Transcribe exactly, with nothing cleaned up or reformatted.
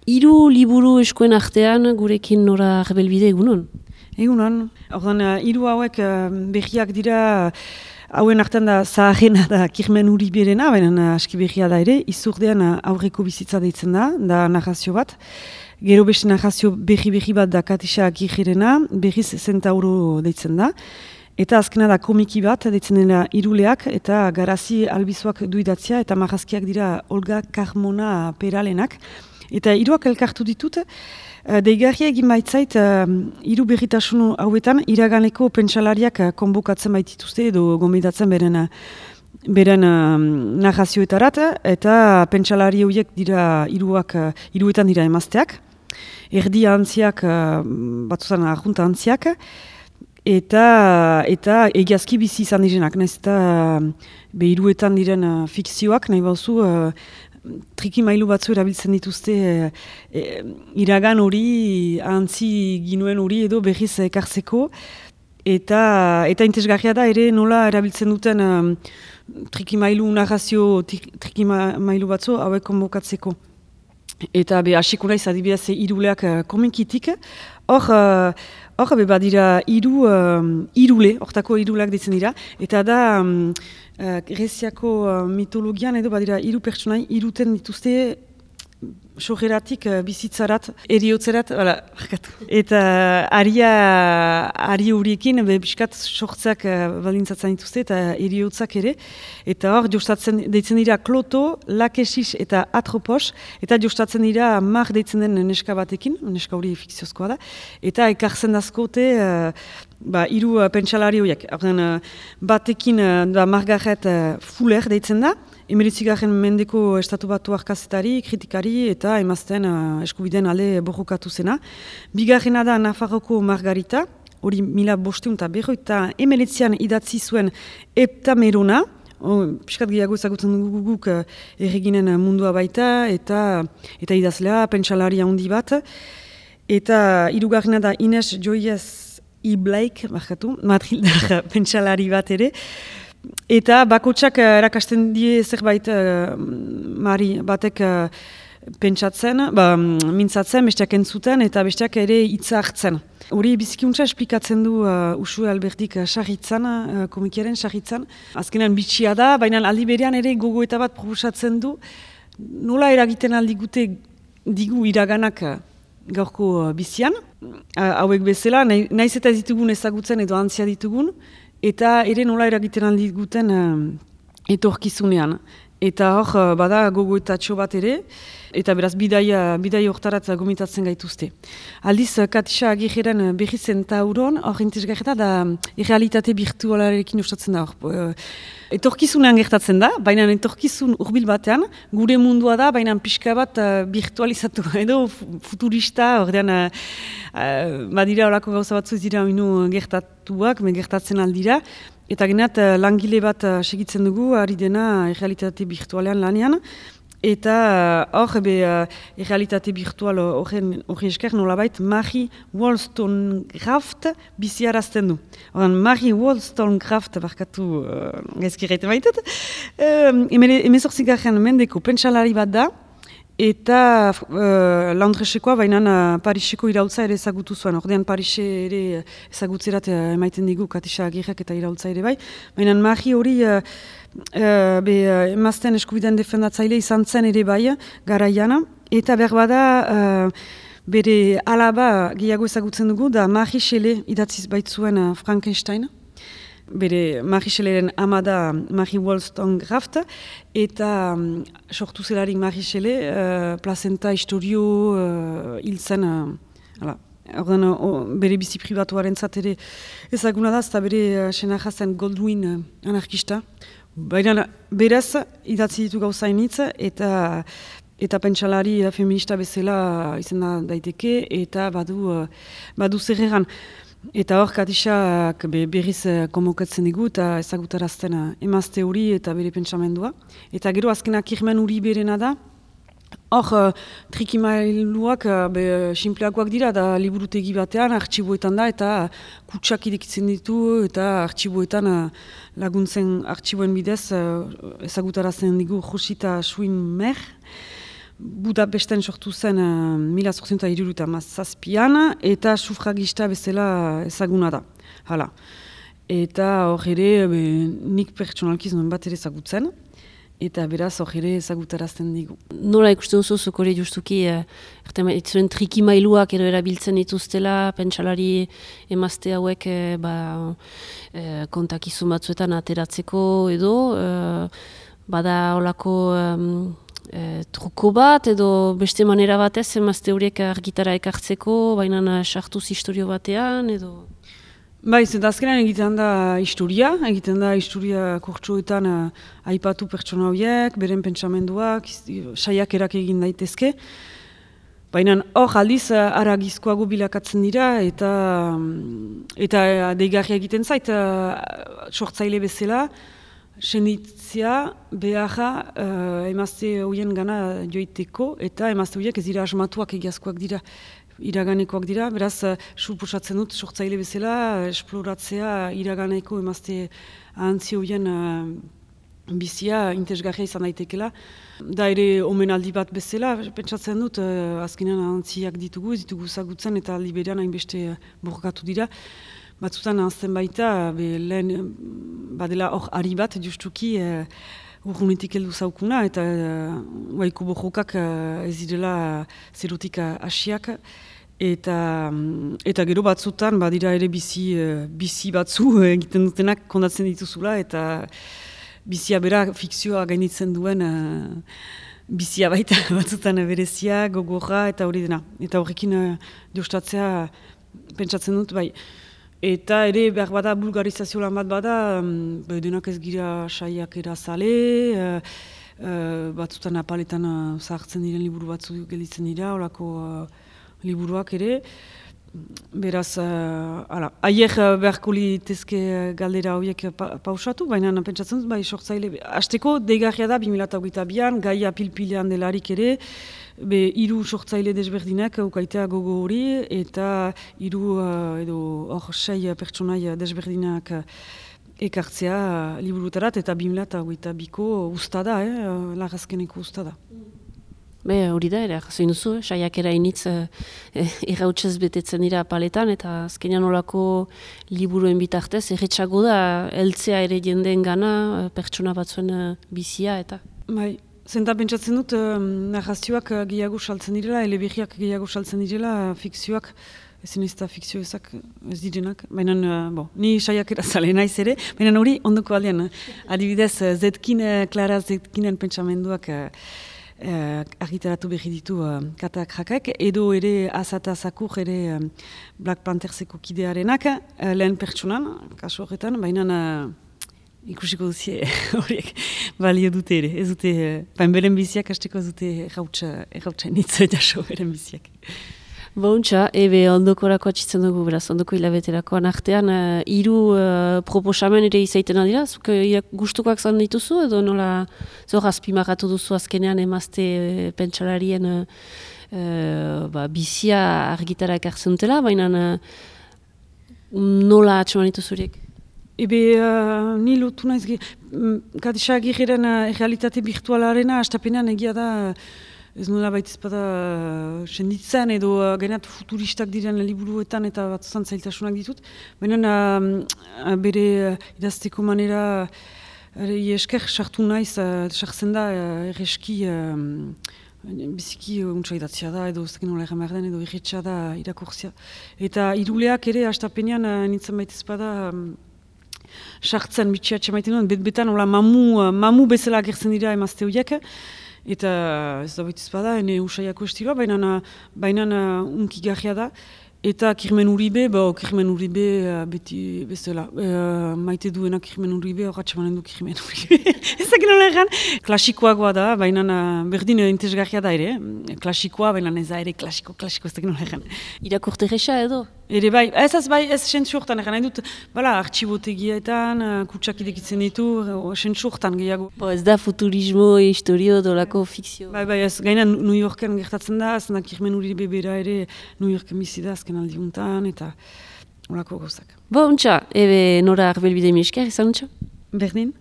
Hiru liburu eskuen artean gurekin Nora Rebelbide egunon? Egunon. Ordan, hiru hauek uh, berriak dira, hauen artean da zaharrena da Kirmen Uriberena, baina aski berria da ere, izurdean aurreko bizitza deitzen da, da narrazio bat. Gero beste narrazio berri-berri bat da Katisa Agirrena, berriz Zentauro deitzen da. Eta azkena da komiki bat, deitzen dela Iruleak, eta Garazi Albizuak duidatzia, eta marrazkiak dira Olga Carmona Peralenak. Eta hiruak elkartu ditut, uh, deigarria egin baitzait uh, hiru berritasun hauetan iraganeko pentsalariak uh, konbokatzen baitituzte edo gomendatzen beren, uh, beren uh, narrazioetarat, eta pentsalari horiek dira hiruak uh, hiruetan dira emazteak, erdi antziak, uh, batzutan arjunta antziak, eta, eta egiazki bizi izan direnak, nahiz eta uh, be hiruetan diren uh, fikzioak, nahi bauzu, uh, trikimailu batzu erabiltzen dituzte e, e, iragan hori, antzi ginuen hori edo berriz ekartzeko. Eta, eta interesgarria da ere nola erabiltzen duten um, trikimailu narrazio trikimailu batzu hauek konbokatzeko. Eta be hasiko naiz adibidez Iruleak uh, komikitik. Hor, uh, hor be badira hiru um, irule, hortako iruleak ditzen dira. Eta da... Um, Uh, Greziako uh, mitologian edo badira hiru pertsonai iruten dituzte sojeratik uh, bizitzarat, eriotzerat, voilà, eta aria ari horiekin biskat sortzeak uh, balintzatzen dituzte eta eriotzak ere, eta hor jostatzen deitzen dira Kloto, Lakesis eta Atropos, eta jostatzen dira Mar deitzen den neska batekin, neska hori fikziozkoa da, eta ekartzen dazkote uh, Ba, hiru uh, pentsalari horiek. Uh, batekin uh, da Margaret uh, Fuller deitzen da, emeretzigarren mendeko estatu batu kazetari, kritikari eta emazten uh, eskubideen alde borrokatu zena. Bigarrena da Nafarroko Margarita, hori mila bosteun eta berroita emeretzian idatzi zuen Heptamerona, oh, piskat gehiago ezagutzen dugu guk uh, erreginen mundua baita, eta, eta idazlea, pentsalari handi bat. Eta hirugarrena da Ines Joyez Iblaik, markatu, Madrildar pentsalari bat ere. Eta bakotsak erakasten die zerbait uh, mari batek uh, pentsatzen, ba, mintzatzen, besteak entzuten, eta besteak ere hitza hartzen. Hori bizikiuntza esplikatzen du uh, Usue Albertik uh, sarritzan, uh, komikiaren sarritzan. Azkenean bitxia da, baina aldi berean ere gogoeta bat proposatzen du. Nola eragiten aldi gute digu iraganak uh, gaurko uh, bizian. Hauek bezala, nahi, nahiz eta ez ditugun ezagutzen edo antzia ditugun, eta ere nola eragiten aldi guten uh, etorkizunean. Eta hor, uh, bada gogoetatxo bat ere, eta beraz bidaia, bidaia hortarat gomitatzen gaituzte. Aldiz, Katisa Agirren berri Zentauron, hor interesgarria da, errealitate virtualarekin ustatzen da. Hor, uh, etorkizunean gertatzen da, baina etorkizun hurbil batean, gure mundua da, baina pixka bat uh, virtualizatu, edo futurista, ordean, uh, uh, badira horako gauza batzu ez dira inu gertatuak, me gertatzen aldira, eta geneat uh, langile bat uh, segitzen dugu, ari dena errealitate virtualean lanean, eta hor, uh, uh, errealitate virtual hori esker nolabait Marie Wollstonecraft biziarazten du. Oran, Marie Wollstonecraft, barkatu uh, gaizkirreite baitut, uh, emezortzigarren mendeko pentsalari bat da, eta uh, Londresekoa, baina uh, Pariseko iraultza ere ezagutu zuen. Ordean Parise ere ezagutzerat uh, emaiten digu Katisa Agirrek eta iraultza ere bai. Baina Marie hori uh, uh, be, uh, emazten eskubideen defendatzaile izan zen ere bai, garaiana. Eta berbada uh, bere alaba gehiago ezagutzen dugu, da Marie Shelley idatziz baitzuen uh, Frankenstein. Bere Marie Shelleyren ama da Marie Wollstonecraft, eta um, sortu zelarik Marie Shelley, uh, plazenta historio uh, hil zen, uh, Orden, uh, bere bizi pribatuaren zatere ezaguna da, eta bere uh, senaja zen Goldwyn uh, anarkista. Baina beraz, idatzi ditu gauzainitz, eta eta pentsalari uh, feminista bezala izan da daiteke, eta badu, uh, badu zerreran. Eta hor, Katisak berriz konbokatzen digu eta ezagutarazten emazte hori eta bere pentsamendua. Eta gero azkenak Kirmen Uriberena da. Hor, trikimailuak sinpleakoak dira, da liburutegi batean, artxiboetan da, eta kutsak irekitzen ditu, eta artxiboetan laguntzen artxiboen bidez ezagutarazten digu Josita Suin Mer. Budapesten sortu zen uh, mila zortziunta hiruruta mazazpian, eta sufragista bezala ezaguna da. Hala. Eta hor ere, be, nik pertsonalkiz nuen bat ere ezagutzen, eta beraz hor ere ezagutarazten digu. Nola ikusten duzu, zuk hori justuki, eh, zuen trikimailuak edo erabiltzen dituztela, pentsalari emazte hauek eh, ba, eh, kontakizun batzuetan ateratzeko edo, eh, bada olako eh, truko bat edo beste manera batez emazte horiek argitara ekartzeko, baina sartuz historio batean edo... Bai, zenta azkenean egiten da historia, egiten da historia kurtsuetan uh, aipatu pertsona horiek, beren pentsamenduak, saiakerak egin daitezke. Baina hor aldiz uh, aragizkoago bilakatzen dira eta um, eta uh, deigarria egiten zait, uh, sortzaile bezala, senditzea beharra uh, emazte horien gana joiteko eta emazte horiek ez dira asmatuak egiazkoak dira. Iraganekoak dira, beraz, uh, suposatzen dut, sortzaile bezala, uh, esploratzea iraganeko emazte ahantzi horien uh, bizia interesgarria izan daitekela. Da ere omenaldi bat bezala, pentsatzen dut, uh, azkenean ahantziak ditugu, ez ditugu zagutzen eta aldi berean hainbeste uh, borkatu dira. Batzutan ahazten baita, be, lehen badela hor ari bat, justuki, uh, urrunetik heldu zaukuna, eta uh, waiko borrokak uh, ez direla uh, zerotik hasiak. Eta, um, eta gero batzutan, badira ere bizi, uh, bizi batzu egiten dutenak kondatzen dituzula, eta bizia bera fikzioa gainitzen duen uh, bizia baita batzutan berezia, gogorra, eta hori dena. Eta horrekin uh, jostatzea pentsatzen dut, bai. Eta ere behar bada bulgarizazio lan bat bada, um, denak ez gira saiak erazale, uh, uh, batzutan apaletan uh, zahartzen diren liburu batzu gelditzen dira, horako uh, liburuak ere. Beraz, uh, ala, aier uh, beharko litezke galdera horiek pa, pausatu, baina pentsatzen dut, bai, sortzaile, hasteko deigarria da bi mila hogeita bian, gaia pilpilean delarik ere, be hiru sortzaile desberdinak ukaitea gogo hori, eta hiru uh, edo hor sei pertsonai desberdinak uh, ekartzea uh, liburutarat, eta bi mila hogeita biko usta da, eh, uh, lagazkeneko usta da. Be, hori da, ere, jasoin duzu, saiakera initz eh, errautsez betetzen dira paletan, eta azkenean olako liburuen bitartez, erretxago da, heltzea ere jendeen gana, pertsona batzuen bizia, eta... Bai, zenta pentsatzen dut, narrazioak gehiago saltzen direla, eleberriak gehiago saltzen direla, fikzioak, ezin ez da fikzio ezak ez direnak, baina, bo, ni saiakera zale naiz ere, baina hori ondoko aldean, adibidez, Zetkin, Klara Zetkinen pentsamenduak, Uh, argitaratu berri ditu uh, katak jakak, edo ere Azata Zakur ere um, Black Pantherseko kidearenak, uh, lehen pertsonan, kasu horretan, baina uh, ikusiko duzie horiek balio dute ere, ez dute, uh, beren biziak hasteko ez dute errautsa nitzo jaso beren biziak. Bontxa, ebe ondokorako atxitzen dugu, beraz, ondoko hilabeterakoan artean, uh, hiru uh, proposamen ere izaiten adira, zuk uh, gustukoak zan dituzu, edo nola zor azpimarratu duzu azkenean emazte uh, pentsalarien uh, uh, ba, bizia argitara ekartzen dutela, baina uh, nola atxeman dituzuriek? Ebe, uh, ni lotu naiz, Katisa Agirreren uh, realitate virtualarena, astapenean egia da, ez nola baitizpada uh, senditzen edo uh, gainat futuristak diren liburuetan eta batzuzan zailtasunak ditut. Baina uh, bere uh, idazteko manera uh, esker sartu naiz, sartzen uh, da uh, erreski uh, biziki uh, untsa idatzia da edo zekin nola egan behar den edo irretxa da irakurzia. Eta iruleak ere astapenean uh, nintzen baitizpada um, sartzen bitxiatxe maiten duen, bet-betan mamu, uh, mamu bezala agertzen dira emazte horiek. Eta ez da baitiz bada, ene usaiako estiloa, baina baina unki garria da. Eta Kirmen Uribe, bo, Kirmen Uribe uh, beti bezala. Uh, maite duena Kirmen Uribe, horratxe manen du Kirmen Uribe. Ezak nola egan. Klasikoagoa da, baina berdin interesgarria da ere. Klasikoa, baina ez da ere klasiko, klasiko, ezak nola egan. Irakurte resa edo? Ere bai, ez ez bai, ez sentzu hortan egan, nahi dut, bala, artxibotegietan, kutsak idekitzen ditu, sentzu hortan gehiago. Bo, ez da futurismo, historio, dolako fikzio. Bai, bai, ez, gaina New Yorken gertatzen da, ez da Kirmen Uribe bera ere New Yorken bizi da, azken aldiuntan, eta horako gauzak. Bo, untxa, ebe nora arbelbide mi esker, izan untxa? Berdin?